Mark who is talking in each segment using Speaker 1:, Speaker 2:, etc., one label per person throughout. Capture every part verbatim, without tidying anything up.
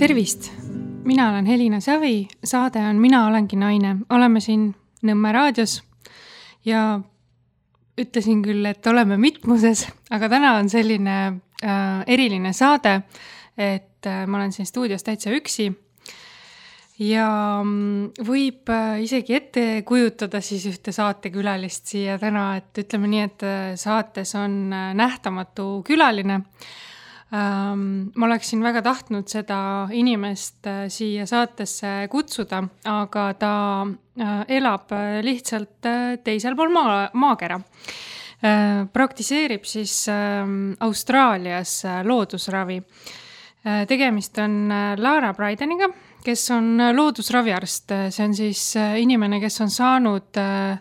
Speaker 1: Tervist! Mina olen Helina Savi, saade on Mina olengi naine. Oleme siin Nõmme raadios ja ütlesin küll, et oleme mitmuses, aga täna on selline äh, eriline saade, et äh, ma olen siin stuudios täitsa üksi ja võib äh, isegi ette kujutada siis ühte saatekülalist siia täna, et ütleme nii, et äh, saates on äh, nähtamatu külaline. Ähm, ma oleksin väga tahtnud seda inimest äh, siia saatesse kutsuda, aga ta äh, elab äh, lihtsalt äh, teisel pool maa, maakera. Äh, praktiseerib siis äh, Austraalias äh, loodusravi. Äh, tegemist on äh, Lara Brydeniga, kes on äh, loodusraviarst. See on siis äh, inimene, kes on saanud äh,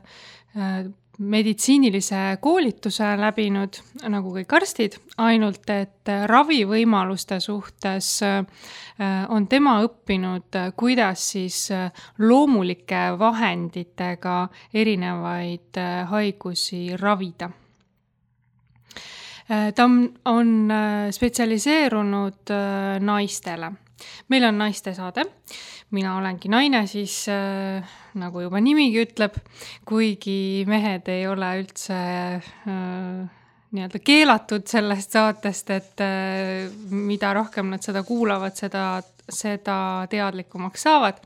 Speaker 1: äh, meditsiinilise koolituse läbinud, nagu kõik arstid, ainult et ravivõimaluste suhtes on tema õppinud, kuidas siis loomulike vahenditega erinevaid haigusi ravida. Ta on spetsialiseerunud naistele. Meil on naiste saade. Mina olengi naine, siis äh, nagu juba nimigi ütleb, kuigi mehed ei ole üldse äh, nii-öelda keelatud sellest saatest, et äh, mida rohkem nad seda kuulavad, seda, seda teadlikumaks saavad.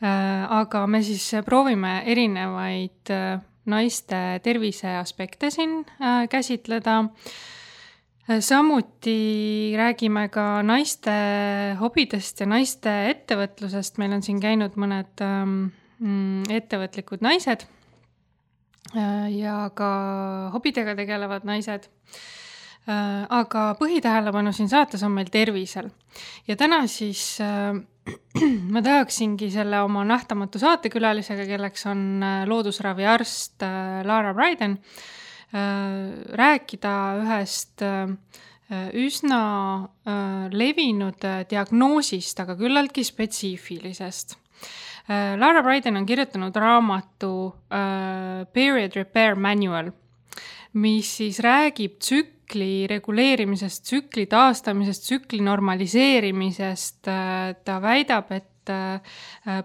Speaker 1: Äh, aga me siis proovime erinevaid äh, naiste tervise aspekte siin äh, käsitleda. Samuti räägime ka naiste hobidest ja naiste ettevõtlusest. Meil on siin käinud mõned ähm, ettevõtlikud naised äh, ja ka hobidega tegelevad naised. Äh, aga põhitähelepanu siin saates on meil tervisel. Ja täna siis äh, ma tahaksingi selle oma nähtamatu saatekülalisega, kelleks on loodusraviarst äh, Lara Bryden, rääkida ühest üsna levinud diagnoosist, aga küllaltki spetsiifilisest. Lara Bryden on kirjutanud raamatu Period Repair Manual, mis siis räägib tsükli reguleerimisest, tsükli taastamisest, tsükli normaliseerimisest. Ta väidab, et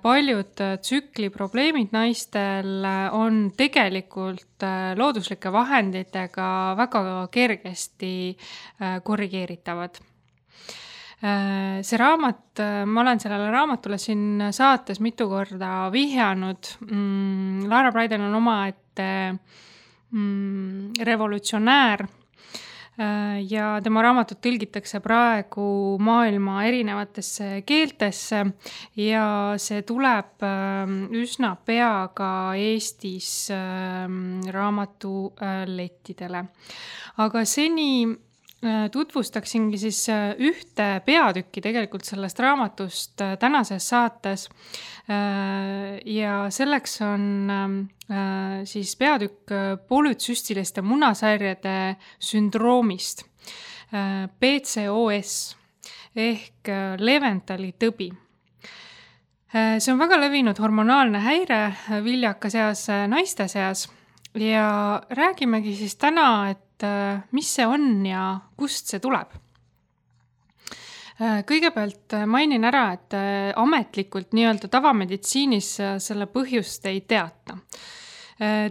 Speaker 1: paljud tsükli probleemid naistel on tegelikult looduslike vahenditega väga kergesti korrigeeritavad. See raamat, ma olen sellele raamatule siin saates mitu korda vihjanud. Lara Bryden on omaette revolutsionäär ja tema raamatut tõlgitakse praegu maailma erinevatesse keeltesse ja see tuleb üsna pea ka Eestis raamatulettidele. Aga seni tutvustaksingi siis ühte peatükki tegelikult sellest raamatust tänases saates ja selleks on siis peatükk polütsüstiliste munasarjade sündroomist, P C O S ehk Leventali tõbi. See on väga levinud hormonaalne häire viljaka seas naiste seas ja räägimegi siis täna, et mis see on ja kust see tuleb. Kõigepealt mainin ära, et ametlikult nii-öelda tavameditsiinis selle põhjust ei teata.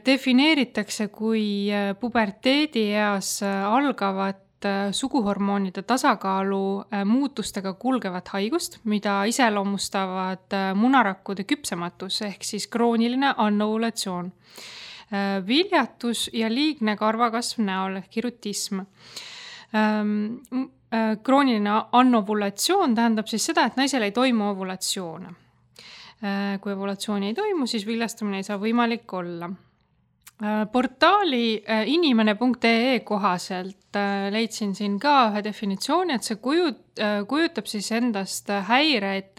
Speaker 1: Defineeritakse kui puberteedi eas algavat suguhormoonide tasakaalu muutustega kulgevat haigust, mida iseloomustavad munarakkude küpsematus ehk siis krooniline anovulatsioon. Viljatus ja liigne karvakasv näol ehk hirutism. Krooniline anovulatsioon tähendab siis seda, et naisel ei toimu ovulatsioone. Kui ovulatsiooni ei toimu, siis viljastumine ei saa võimalik olla. Portaali inimene punkt ee kohaselt leidsin siin ka ühe definitsiooni, et see kujut, kujutab siis endast häireid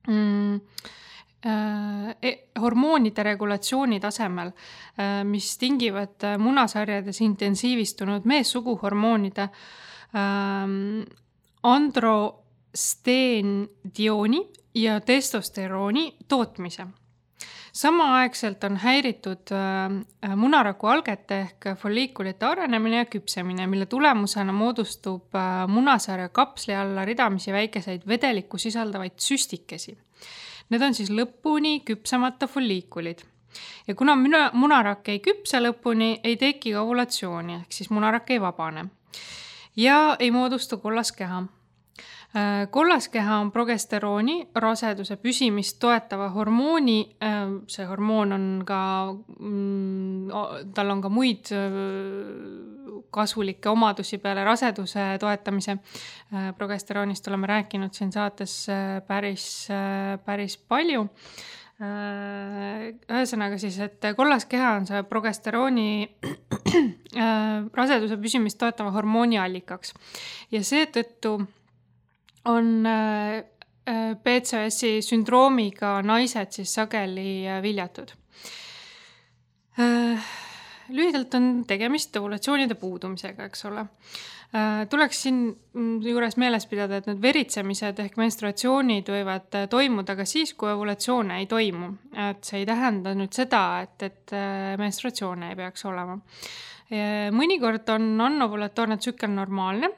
Speaker 1: mm, hormoonide regulatsiooni tasemel, mis tingivad munasarjades intensiivistunud meessuguhormoonide androsteendioni ja testosterooni tootmise. Samaaegselt on häiritud munaraku algete ehk folliikulite arenemine ja küpsemine, mille tulemusena moodustub munasarja kapsli alla ridamisi väikeseid vedelikku sisaldavaid süstikesi. Need on siis lõpuni küpsemata folliikulid. Ja kuna munarak ei küpse lõpuni, ei teki ka ovulatsiooni, ehk siis munarak ei vabane. Ja ei moodustu kollaskeha. Kollaskeha on progesterooni, raseduse püsimist toetava hormooni, see hormoon on ka, tal on ka muid kasulikke omadusi peale raseduse toetamise. Progesteroonist oleme rääkinud siin saates päris, päris palju. Ühesõnaga siis, et kollaskeha on see progesterooni raseduse püsimist toetava hormooni allikaks. Ja seetõttu on P C O S-i sündroomiga naised siis sageli viljatud. Lühidalt on tegemist ovulatsioonide puudumisega, eks ole. Tuleks siin juures meeles pidada, et need veritsemised ehk menstruatsioonid võivad toimuda ka siis, kui ovulatsioone ei toimu. Et see ei tähenda nüüd seda, et, et menstruatsioone ei peaks olema. Mõnikord on anovulatoorne tsükkel normaalne,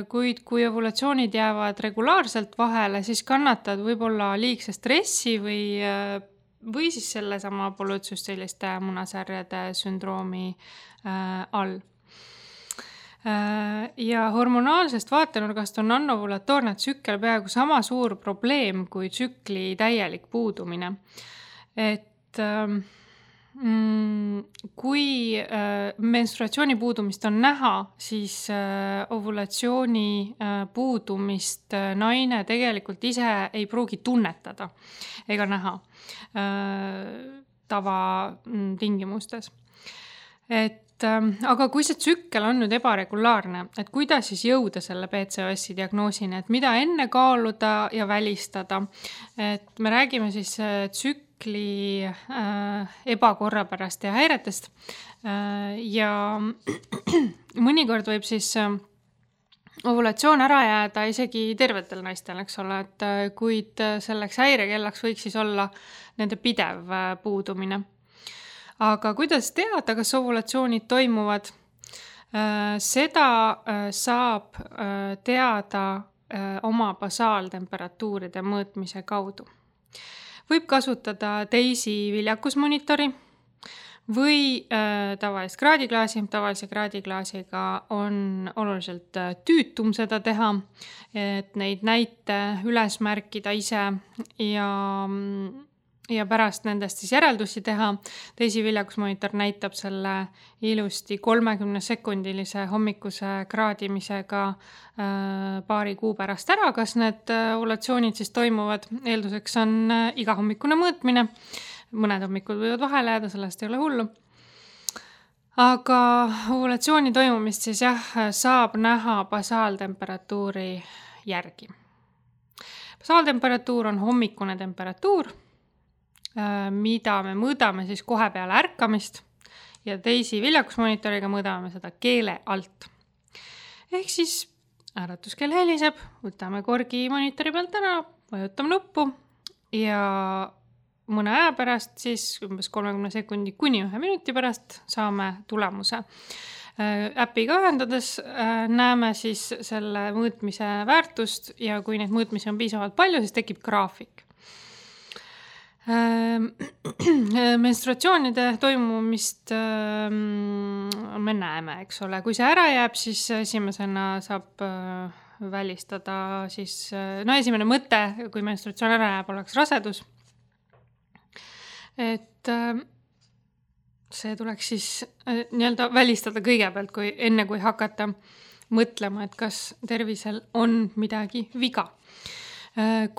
Speaker 1: kuid kui ovulatsioonid jäävad regulaarselt vahele, siis kannatad võib-olla liigse stressi või, või siis selle sama polütsüstiliste munasarjade sündroomi all. Ja hormonaalsest vaatenurgast on anovulatoorne tsükkel peaaegu sama suur probleem kui tsükli täielik puudumine. Et kui menstruatsiooni puudumist on näha, siis ovulatsiooni puudumist naine tegelikult ise ei pruugi tunnetada ega näha tava tingimustes. Et, aga kui see tsükkel on nüüd ebaregulaarne, et kuidas siis jõuda selle P C O S-i diagnoosini, et mida enne kaaluda ja välistada, et me räägime siis tsükkel ebakorrapärast ja häiretest ja mõnikord võib siis ovulatsioon ära jääda isegi tervetel naistel, eks ole, et kuid selleks häirekellaks võiks siis olla nende pidev puudumine. Aga kuidas teada, kas ovulatsioonid toimuvad? Seda saab teada oma basaaltemperatuuride mõõtmise kaudu. Võib kasutada teisi viljakusmonitori või äh, tavalist kraadiklaasi. Tavalise kraadiklaasiga on oluliselt tüütum seda teha, et neid näite üles märkida ise ja, ja pärast nendest siis järeldusi teha. Teisi viljakusmonitor näitab selle ilusti kolmekümne sekundilise hommikuse kraadimisega paari kuu pärast ära, kas need ovulatsioonid siis toimuvad. Eelduseks on iga hommikune mõõtmine. Mõned hommikud võivad vahele jääda, sellest ei ole hullu. Aga ovulatsiooni toimumist siis jah, saab näha basaaltemperatuuri järgi. Basaaltemperatuur on hommikune temperatuur, mida me mõõdame siis kohe peale ärkamist ja teisi viljakusmonitoriga mõõdame seda keele alt. Ehk siis äratuskell heliseb, võtame korgi monitori pealt ära, vajutame nuppu ja mõne aja pärast, siis umbes kolmekümne sekundi kuni ühe minuti pärast saame tulemuse. Äpiga ühendades näeme siis selle mõõtmise väärtust ja kui neid mõõtmisi on piisavalt palju, siis tekib graafik. Menstruatsioonide toimumist me näeme, eks ole. Kui see ära jääb, siis esimesena saab välistada siis, no esimene mõte, kui menstruatsioon ära jääb, oleks rasedus. Et see tuleks siis nii-öelda välistada kõigepealt, kui, enne kui hakata mõtlema, et kas tervisel on midagi viga.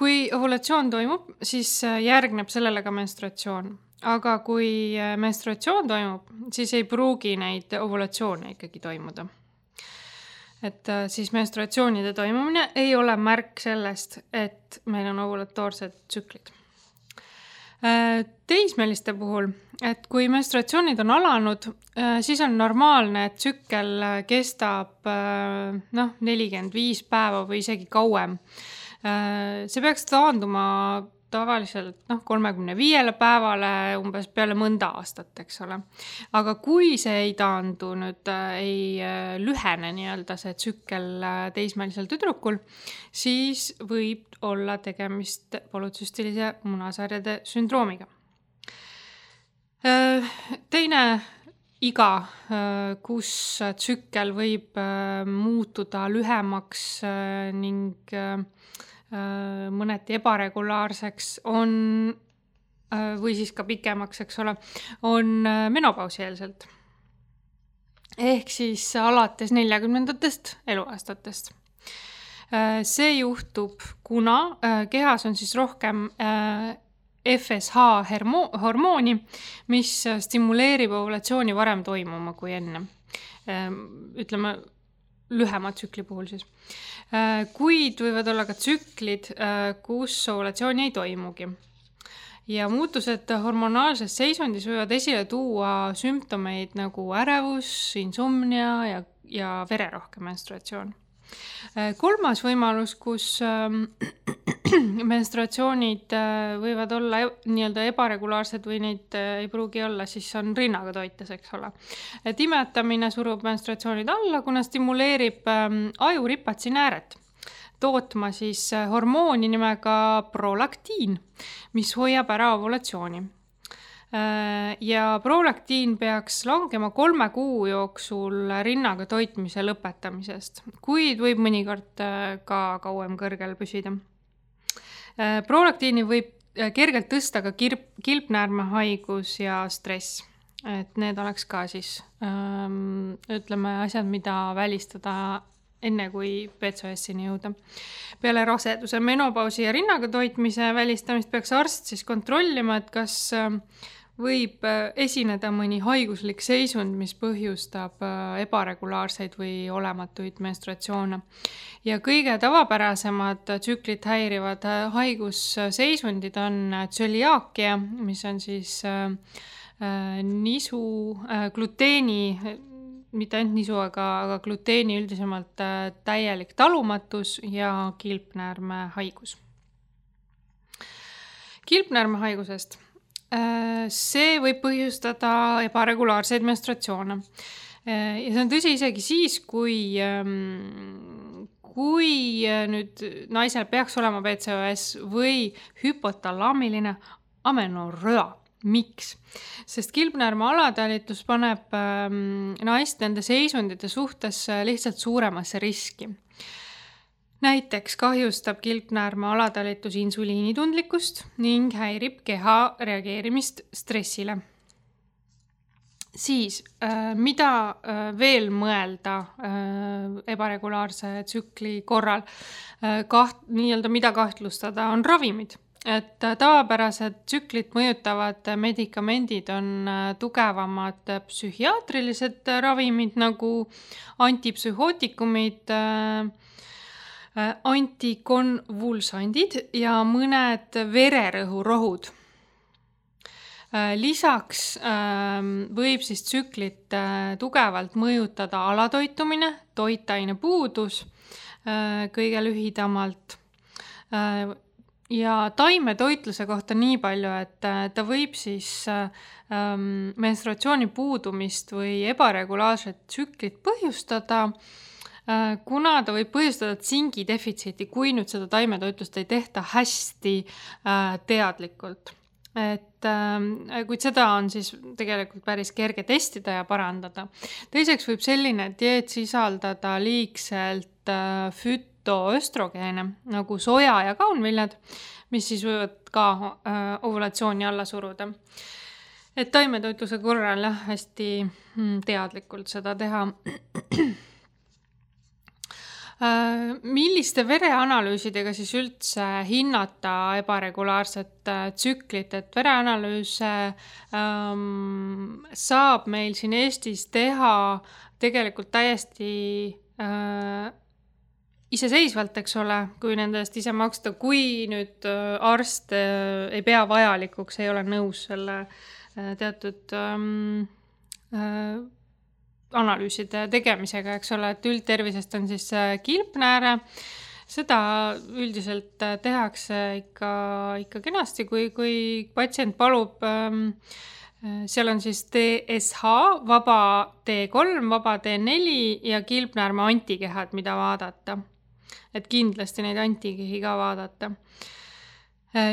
Speaker 1: Kui ovulatsioon toimub, siis järgneb sellele ka menstruatsioon. Aga kui menstruatsioon toimub, siis ei pruugi neid ovulatsioone ikkagi toimuda. Et siis menstruatsioonide toimumine ei ole märk sellest, et meil on ovulatoorsed tsüklid. Teismeliste puhul, et kui menstruatsioonid on alanud, siis on normaalne, et tsükkel kestab noh, nelikümmend viis päeva või isegi kauem. See peaks taanduma tavaliselt noh, kolmekümne viiele päevale umbes peale mõnda aastat, eks ole. Aga kui see ei taandu nüüd, ei lühene nii-öelda see tsükkel teismelisel tüdrukul, siis võib olla tegemist polütsüstilise munasarjade sündroomiga. Teine iga, kus tsükkel võib muutuda lühemaks ning mõneti ebaregulaarseks on, või siis ka pikemaks, eks ole, on menopausieelselt. Ehk siis alates neljakümnendatest eluaastatest. See juhtub, kuna kehas on siis rohkem F S H hormooni, mis stimuleerib ovulatsiooni varem toimuma kui enne. Ütleme, lühema tsükli puhul siis. Kuid võivad olla ka tsüklid, kus ovulatsiooni ei toimugi. Ja muutused hormonaalses seisundis võivad esile tuua sümptomeid nagu ärevus, insomnia ja, ja vererohke menstruatsioon. Kolmas võimalus, kus menstruatsioonid võivad olla nii-öelda ebaregulaarsed või neid ei pruugi olla, siis on rinnaga toites, eks ole. Et imetamine surub menstruatsioonid alla, kuna stimuleerib aju ripatsi nääret tootma siis hormooni nimega prolaktiin, mis hoiab ära ovulatsiooni. Ja prolaktiin peaks langema kolme kuu jooksul rinnaga toitmise lõpetamisest, kuid võib mõnikord ka kauem kõrgel püsida. Prolaktiini võib kergelt tõsta ka kirp, kilpnäärmehaigus ja stress. Et need oleks ka siis, ähm, ütleme, asjad, mida välistada enne kui P C O S-ini jõuda. Peale raseduse, menopausi ja rinnaga toitmise välistamist peaks arst siis kontrollima, et kas võib esineda mõni haiguslik seisund, mis põhjustab ebaregulaarseid või olematuid menstruatsioone. Ja kõige tavapärasemad tsüklit häirivad haigusseisundid on tsöliaakia, mis on siis nisu, gluteeni, mitte ainult nisu, aga, aga gluteeni üldisemalt täielik talumatus ja kilpnäärmehaigus. Kilpnäärmehaigusest. See võib põhjustada ebaregulaarseid menstruatsioone. Ja see on tõsi isegi siis, kui, kui nüüd naisel peaks olema P C O S või hüpotalaamiline amenorröa. Miks? Sest kilpnäärme alatalitus paneb naist nende seisundite suhtes lihtsalt suuremasse riski. Näiteks kahjustab kilpnäärme alatalitus insuliinitundlikkust ning häirib keha reageerimist stressile. Siis, mida veel mõelda ebaregulaarse tsükli korral, kaht, nii-öelda mida kahtlustada, on ravimid. Et tavapärased tsüklit mõjutavad medikamendid on tugevamad psühhiaatrilised ravimid nagu antipsühhootikumid, antikonvulsandid ja mõned vererõhurohud. Lisaks võib siis tsüklit tugevalt mõjutada alatoitumine, toitaine puudus kõige lühidamalt ja taimetoitluse kohta nii palju, et ta võib siis menstruatsiooni puudumist või ebaregulaarset tsüklit põhjustada, kuna ta võib põhjustada tsingi defitsiiti, kui nüüd seda taimetoitlust ei tehta hästi teadlikult. Et, kuid seda on siis tegelikult päris kerge testida ja parandada. Teiseks võib selline dieet sisaldada liigselt fütoöstrogeene, nagu soja ja kaunviljad, mis siis võivad ka ovulatsiooni alla suruda. Et taimetoitluse korral jah, hästi teadlikult seda teha. Milliste vereanalüüsidega siis üldse hinnata ebaregulaarset tsüklit, et vereanalüüse ähm, saab meil siin Eestis teha tegelikult täiesti äh, iseseisvalt, eks ole, kui nendest ise maksta, kui nüüd arst äh, ei pea vajalikuks, ei ole nõus selle äh, teatud ähm, äh, analüüside tegemisega, eks ole, et üldtervisest on siis kilpnääre, Seda üldiselt tehakse ikka, ikka kenasti, kui, kui patsient palub, seal on siis T S H, vaba T kolm, vaba T neli ja kilpnäärme antikehad, mida vaadata. Et kindlasti neid antikehi ka vaadata.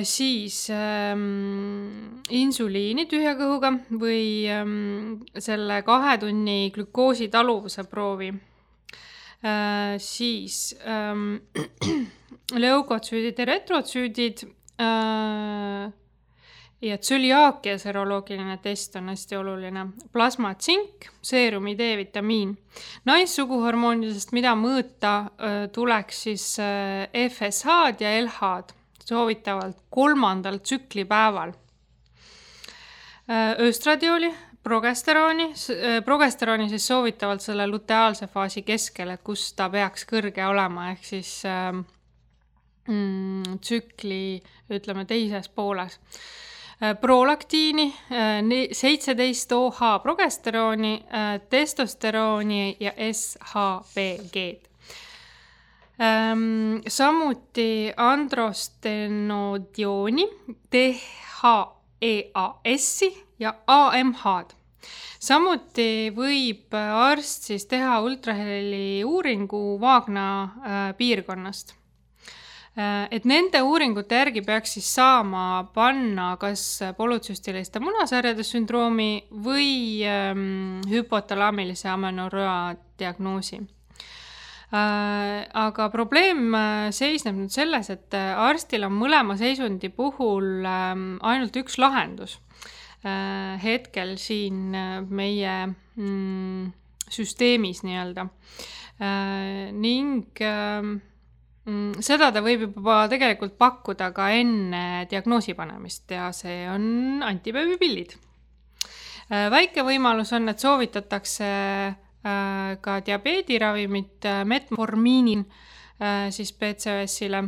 Speaker 1: Siis ähm, insuliini tühja kõhuga või ähm, selle kahe tunni glükoosi taluvuse proovi. Äh, siis ähm, leukotsüüdid ja retrotsüüdid äh, ja tsöliaakia seroloogiline test on hästi oluline. Plasma tsink, seerumi D-vitamiin. Naissuguhormoonidest, mida mõõta, äh, tuleks siis äh, F S H-d ja L H-d soovitavalt kolmandal tsüklipäeval. Äh, östradioli, progesterooni, progesterooni siis soovitavalt selle luteaalse faasi keskel, et kus ta peaks kõrge olema, ehk siis mm, tsükli, ütleme, teises pooles. Prolaktiini, seitseteist O H progesterooni, testosterooni ja S H B G-d. Samuti androstenodiooni, D H E A S-i ja A M H-d. Samuti võib arst siis teha ultraheli uuringu vaagna äh, piirkonnast. Äh, et nende uuringute järgi peaks siis saama panna kas polütsüstiliste munasarjade sündroomi või ähm, hüpotalaamilise amenorrhoa diagnoosi. Äh, aga probleem seisneb nüüd selles, et arstil on mõlema seisundi puhul ähm, ainult üks lahendus. Hetkel siin meie mm, süsteemis nii-öelda. Ning mm, seda ta võib juba tegelikult pakkuda ka enne diagnoosi panemist ja see on antibeebipillid. Väike võimalus on, et soovitatakse ka diabeediravimit metformiini siis P C O S-ile.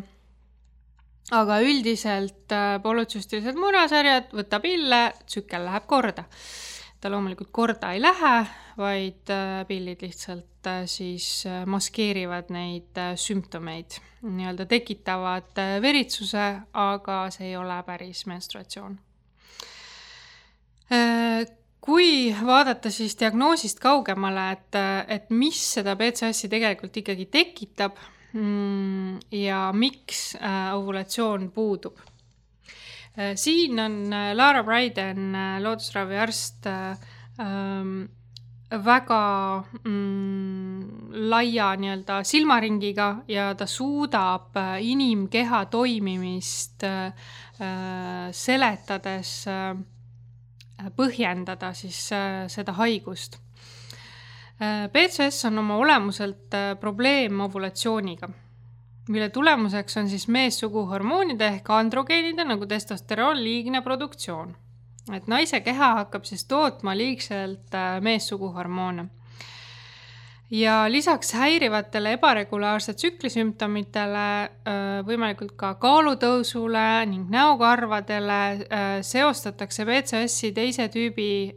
Speaker 1: Aga üldiselt polütsüstilised munasarjad, võta pille, tsükkel läheb korda. Ta loomulikult korda ei lähe, vaid pillid lihtsalt siis maskeerivad neid sümptomeid. Nii-öelda tekitavad veritsuse, aga see ei ole päris menstruatsioon. Kui vaadata siis diagnoosist kaugemale, et, et mis seda P C O S-i tegelikult ikkagi tekitab, ja miks ovulatsioon puudub. Siin on Lara Bryden, loodusraviarst, väga mm, laia nii-öelda silmaringiga ja ta suudab inimkeha toimimist seletades põhjendada siis seda haigust. P C O S on oma olemuselt probleem ovulatsiooniga, mille tulemuseks on siis meessuguhormoonide ehk androgeenide nagu testosteroon liigne produktsioon. Et naise keha hakkab siis tootma liigselt meessuguhormoone. Ja lisaks häirivatele ebaregulaarse tsüklisümptomitele, võimalikult ka kaalutõusule ning näokarvadele seostatakse P C O S-i teise tüübi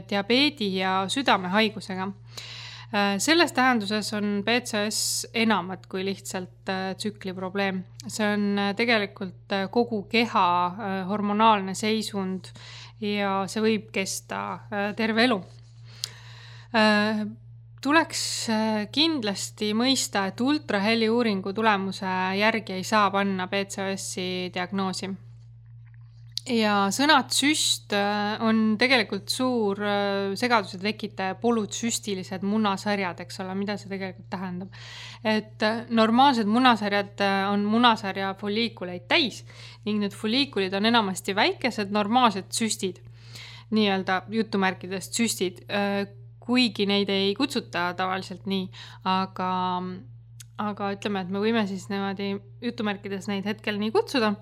Speaker 1: diabeedi ja südamehaigusega. Selles tähenduses on P C O S enamat kui lihtsalt tsükli probleem. See on tegelikult kogu keha hormonaalne seisund ja see võib kesta terve elu. Tuleks kindlasti mõista, et ultraheli uuringu tulemuse järgi ei saa panna P C O S-i diagnoosi. Ja sõnad süst on tegelikult suur segaduse tekitaja polütsüstilised munasarjad, eks ole, mida see tegelikult tähendab. Et normaalsed munasarjad on munasarja folliikuleid täis ning need folliikulid on enamasti väikesed normaalsed süstid, nii-öelda jutumärkidest süstid, kuigi neid ei kutsuta tavaliselt nii, aga, aga ütleme, et me võime siis niimoodi jutumärkides neid hetkel nii kutsuda.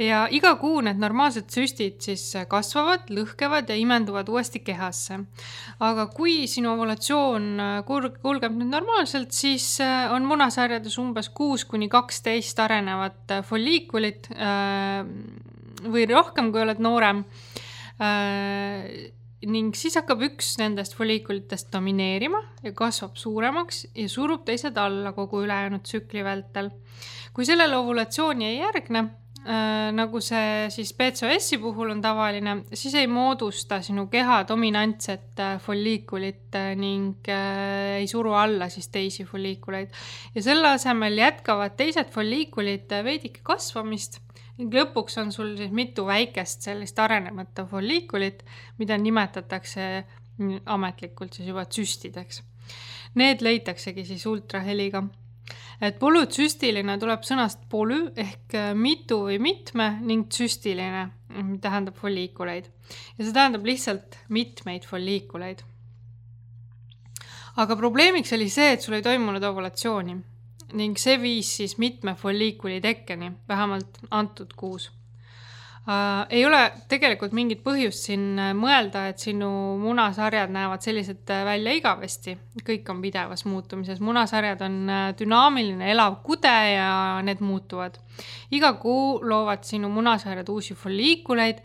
Speaker 1: Ja iga kuu need normaalsed süstid siis kasvavad, lõhkevad ja imenduvad uuesti kehasse. Aga kui sinu ovulatsioon kulgeb nüüd normaalselt, siis on munasarjades umbes kuus kuni kaksteist arenevat folliikulit või rohkem, kui oled noorem. ning siis hakkab üks nendest folliikulitest domineerima ja kasvab suuremaks ja surub teised alla kogu ülejäänud tsükli vältel. Kui sellele ovulatsiooni ei järgne, äh, nagu see siis P C O S-i puhul on tavaline, siis ei moodusta sinu keha dominantset äh, folliikulit äh, ning äh, ei suru alla siis teisi folliikuleid. Ja selle asemel jätkavad teised folliikulid äh, veidike kasvamist ning lõpuks on sul siis mitu väikest sellist arenemata folliikulit, mida nimetatakse ametlikult siis juba tsüstideks. Need leitaksegi siis ultraheliga. Et polütsüstiline tuleb sõnast polü ehk mitu või mitme ning tsüstiline tähendab folliikuleid. Ja see tähendab lihtsalt mitmeid folliikuleid. Aga probleemiks oli see, et sul ei toimunud ovulatsiooni ning see viis siis mitme folliikuli tekkeni, vähemalt antud kuus. Uh, ei ole tegelikult mingit põhjust siin mõelda, et sinu munasarjad näevad sellised välja igavesti. Kõik on pidevas muutumises. Munasarjad on dünaamiline elav kude ja need muutuvad. Iga kuu loovad sinu munasarjad uusi folliikuleid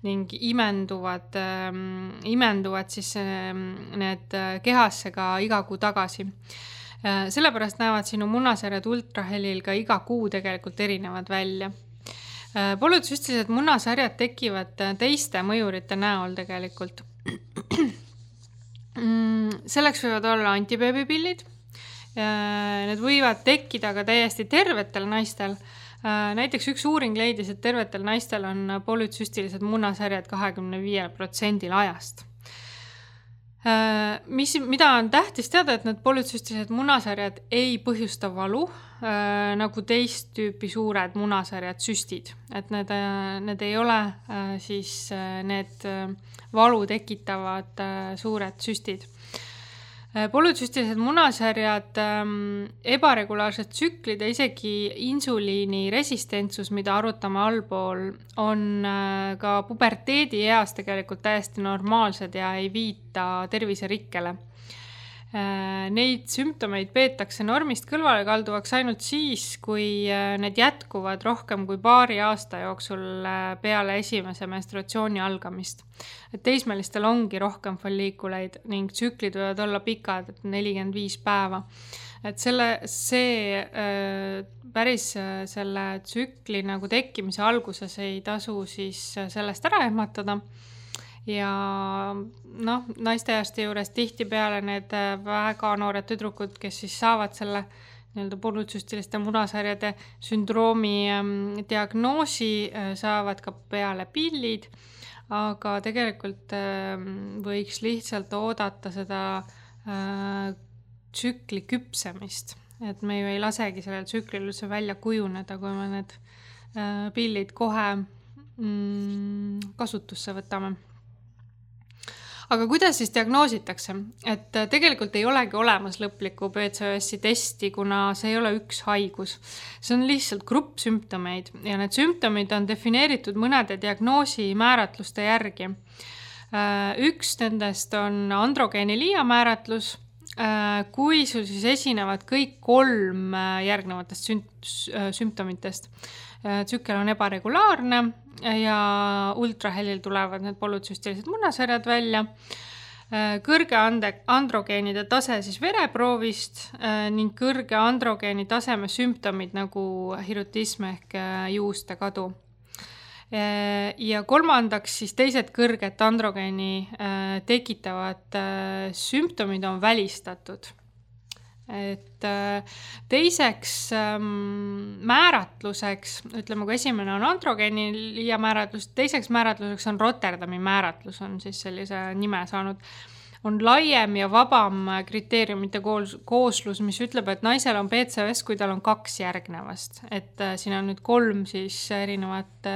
Speaker 1: ning imenduvad, ähm, imenduvad siis ähm, need kehasse ka iga kuu tagasi. Sellepärast näevad sinu munasarjad ultrahelil ka iga kuu tegelikult erinevad välja. Polütsüstilised munasarjad tekivad teiste mõjurite näol tegelikult. Selleks võivad olla antibeebipillid. Need võivad tekkida ka täiesti tervetel naistel. Näiteks üks uuring leidis, et tervetel naistel on polütsüstilised munasarjad kakskümmend viis protsenti ajast. Mis, mida on tähtis teada, et need polütsüstilised munasarjad ei põhjusta valu, äh, nagu teist tüüpi suured munasarjad süstid. Et need, need ei ole äh, siis äh, need äh, valu tekitavad äh, suured süstid. Äh, polütsüstilised munasarjad, äh, ebaregulaarsed tsüklid ja isegi insuliini resistentsus, mida arutame allpool, on äh, ka puberteedi eas tegelikult täiesti normaalsed ja ei viita terviserikkele. Neid sümptomeid peetakse normist kõrvale kalduvaks ainult siis, kui need jätkuvad rohkem kui paari aasta jooksul peale esimese menstruatsiooni algamist. Et teismelistel ongi rohkem folliikuleid ning tsüklid võivad olla pikad, nelikümmend viis päeva. Et selle, see päris selle tsükli nagu tekkimise alguses ei tasu siis sellest ära ehmatada. Ja noh, naiste juures tihti peale need väga noored tüdrukud, kes siis saavad selle nii-öelda polütsüstiliste munasarjade sündroomi diagnoosi, saavad ka peale pillid, aga tegelikult võiks lihtsalt oodata seda tsükli küpsemist. Et me ju ei lasegi sellel tsüklil üldse välja kujuneda, kui me need pillid kohe kasutusse võtame. Aga kuidas siis diagnoositakse? Et tegelikult ei olegi olemas lõplikku P C O S-i testi, kuna see ei ole üks haigus. See on lihtsalt grupp sümptomeid ja need sümptomid on defineeritud mõnede diagnoosi määratluste järgi. Üks nendest on androgeenilia määratlus, kui sul siis esinevad kõik kolm järgnevatest sümptomitest. Tsükkel on ebaregulaarne ja ultrahelil tulevad need polütsüstilised munasarjad välja. Kõrge androgeenide tase siis vereproovist ning kõrge androgeeni taseme sümptomid nagu hirutism ehk juuste kadu. Ja kolmandaks siis teised kõrget androgeeni tekitavad sümptomid on välistatud. Et teiseks määratluseks, ütleme kui esimene on androgeenilia määratlus, teiseks määratluseks on Rotterdami määratlus, on siis sellise nime saanud, on laiem ja vabam kriteeriumite kooslus, mis ütleb, et naisel on P C O S, kui tal on kaks järgnevast. Et siin on nüüd kolm siis erinevat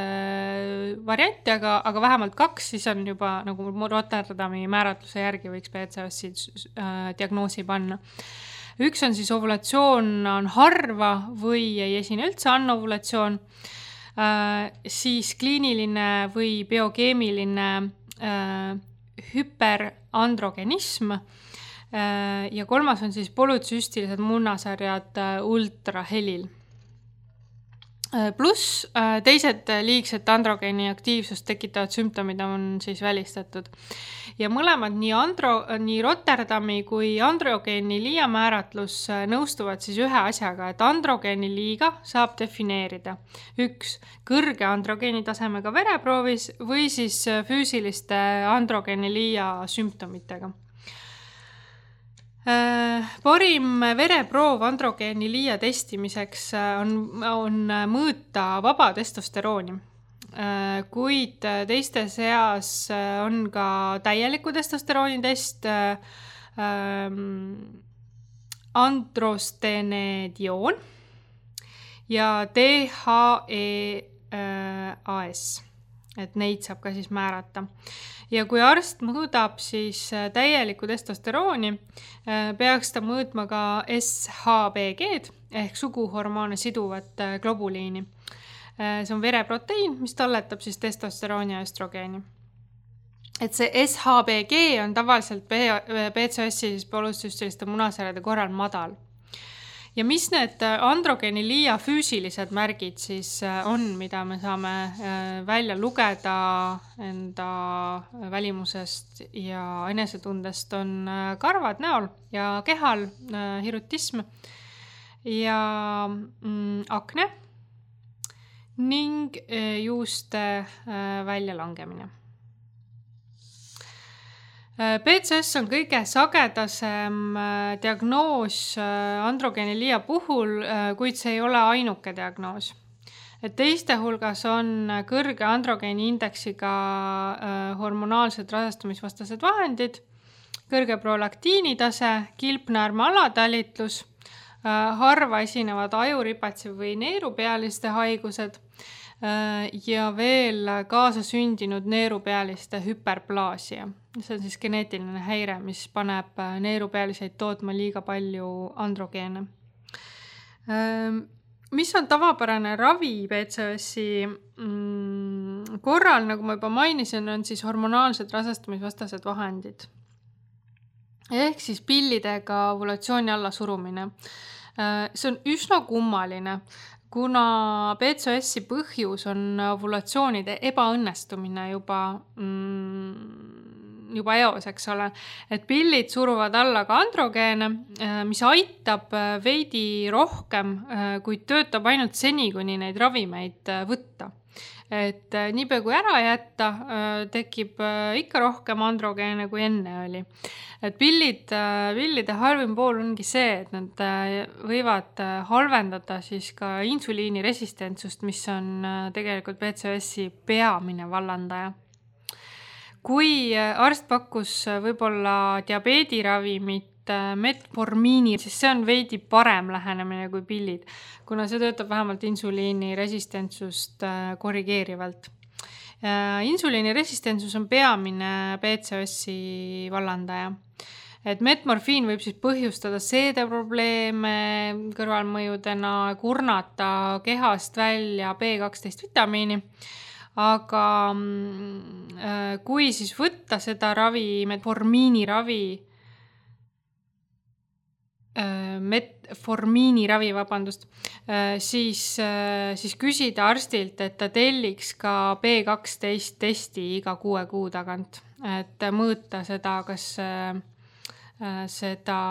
Speaker 1: varianti, aga, aga vähemalt kaks, siis on juba nagu Rotterdami määratluse järgi võiks P C O S-i diagnoosi panna. Üks on siis ovulatsioon on harva või ei esine üldse anovulatsioon, siis kliiniline või biokeemiline hüperandrogenism ja kolmas on siis polütsüstilised munasarjad ultrahelil. Pluss teised liigset androgeeni aktiivsust tekitavad sümptomid on siis välistatud. Ja mõlemad nii, andro, nii Rotterdami kui androgeeni liia määratlus nõustuvad siis ühe asjaga, et androgeeni liiga saab defineerida üks kõrge androgeeni tasemega vereproovis või siis füüsiliste androgeeni liia sümptomitega. Parim vereproov androgeeni liia testimiseks on, on mõõta vaba testosterooni, kuid teiste seas on ka täieliku testosterooni test, androstenedioon ja D H E A S, et neid saab ka siis määrata. Ja kui arst mõõdab siis täielikku testosterooni, peaks ta mõõtma ka S H B G-d ehk suguhormoone siduvat globuliini. See on vereproteiin, mis talletab siis testosterooni ja östrogeeni. Et see S H B G on tavaliselt B C O S-i siis poolüsüstiliste munasarjade korral madal. Ja mis need androgeeni liia füüsilised märgid siis on, mida me saame välja lugeda enda välimusest ja enesetundest, on karvad näol ja kehal, hirutism ja mm, akne ning juuste väljalangemine. B C O S on kõige sagedasem diagnoos androgeeni liia puhul, kuid see ei ole ainuke diagnoos. Et teiste hulgas on kõrge androgeeni indeksiga hormonaalsed rasestumisvastased vahendid, kõrge prolaktiinitase, kilpnäärme alatalitlus, harva esinevad ajuripatsi või neerupealiste haigused ja veel kaasasündinud neerupealiste hüperplaasia. See on siis geneetiline häire, mis paneb neerupealiseid tootma liiga palju androgeene. Mis on tavapärane ravi B C O S-i korral, nagu ma juba mainisin, on siis hormonaalsed rasestumisvastased vahendid. Ehk siis pillidega ovulatsiooni alla surumine. See on üsna kummaline, kuna B C O S-i põhjus on ovulatsioonide ebaõnnestumine juba, mm, juba eos, eks ole. Et pillid suruvad alla ka androgeene, mis aitab veidi rohkem, kuid töötab ainult seni, kuni neid ravimeid võtta. Et niipea kui ära jätta, tekib ikka rohkem androgeene kui enne oli. Et pillid, pillide halvim pool ongi see, et nad võivad halvendada siis ka insuliini resistentsust, mis on tegelikult B C O S-i peamine vallandaja. Kui arst pakkus võib-olla diabeediravimit metformiini, siis see on veidi parem lähenemine kui pillid, kuna see töötab vähemalt insuliini resistentsust korrigeerivalt. Insuliini resistentsus on peamine B C O S-i vallandaja. Et metmorfiin võib siis põhjustada seedeprobleeme kõrvalmõjudena, kurnata kehast välja B kaksteist vitamiini, aga kui siis võtta seda ravi, metformiini ravi, metformiini ravi, vabandust, siis, siis küsida arstilt, et ta telliks ka B kaksteist testi iga kuue kuu tagant, et mõõta seda, kas seda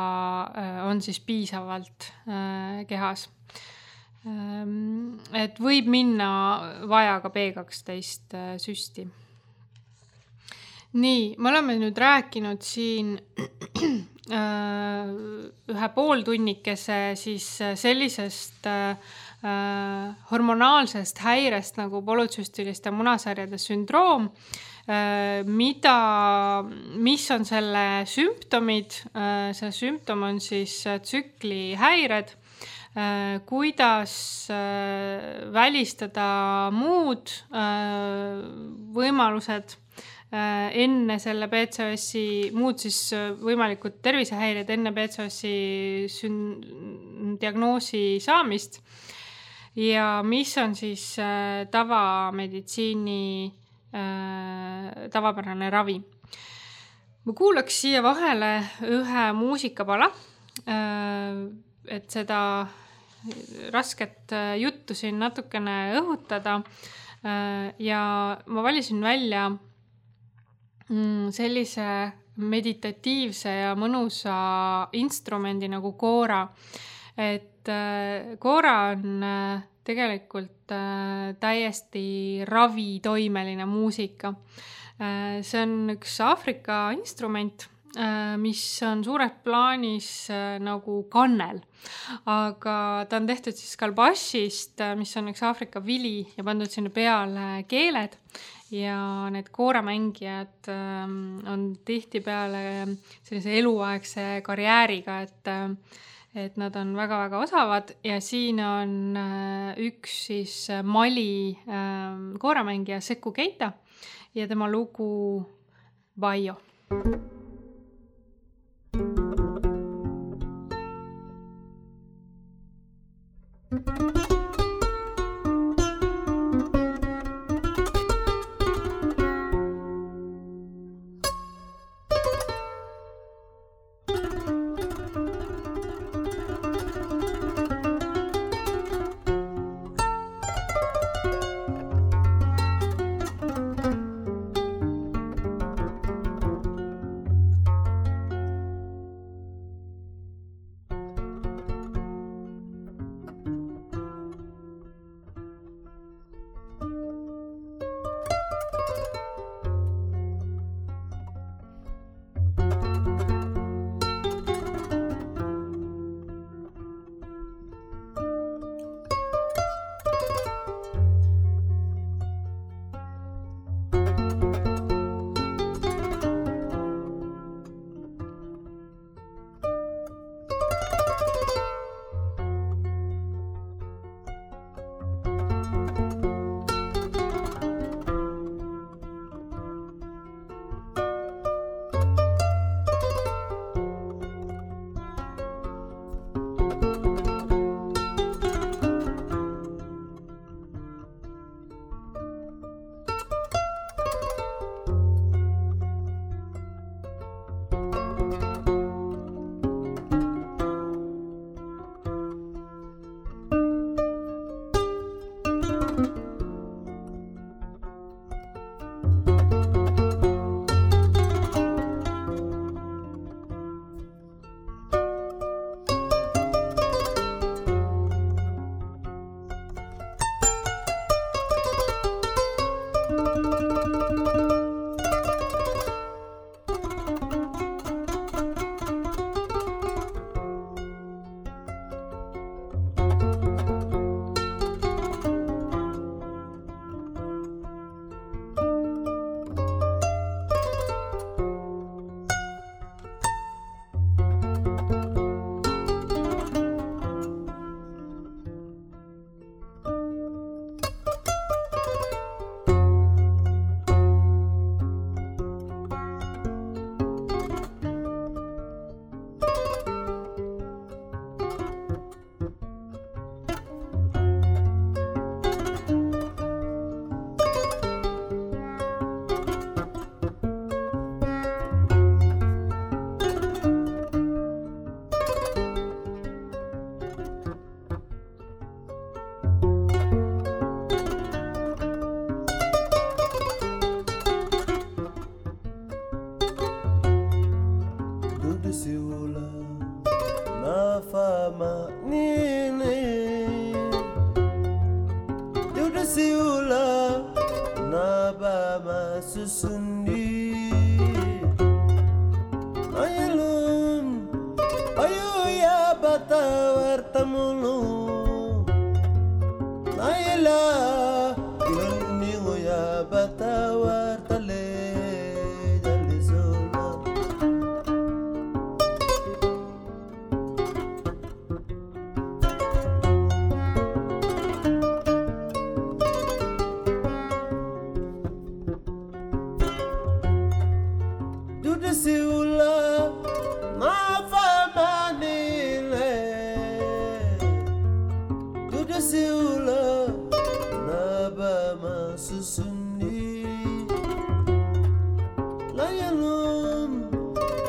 Speaker 1: on siis piisavalt kehas. Et võib minna vaja ka B kaksteist süsti. Nii, me oleme nüüd rääkinud siin ühe pooltunnikese siis sellisest hormonaalsest häirest nagu polütsüstiliste munasarjade sündroom, mida, mis on selle sümptomid. See sümptom on siis tsüklihäired, kuidas välistada muud võimalused enne selle B C O S-i, muud siis võimalikud tervisehäired enne B C O S-i sün- diagnoosi saamist ja mis on siis tavameditsiini tavapärane ravi. Ma kuulaks siia vahele ühe muusikapala, et seda rasket juttu siin natukene õhutada ja ma valisin välja sellise meditatiivse ja mõnusa instrumendi nagu koora. Et koora on tegelikult täiesti ravitoimeline muusika. See on üks Aafrika instrument, mis on suures plaanis nagu kannel, aga ta on tehtud siis kalbašist, mis on üks Aafrika vili ja pandud sinna peale keeled ja need kooramängijad on tihtipeale sellise eluaegse karjääriga, et, et nad on väga-väga osavad ja siin on üks siis Mali kooramängija Sekou Keita ja tema lugu Bayo.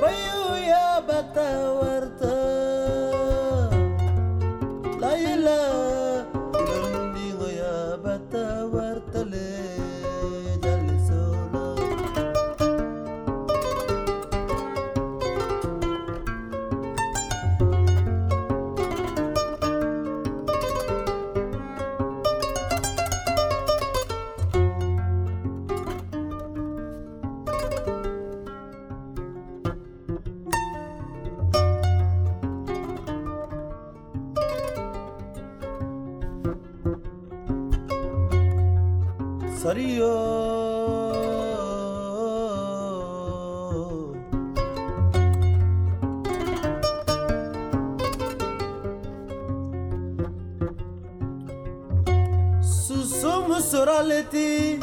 Speaker 2: Bayo ya batawarta la Sario Susumu soraleti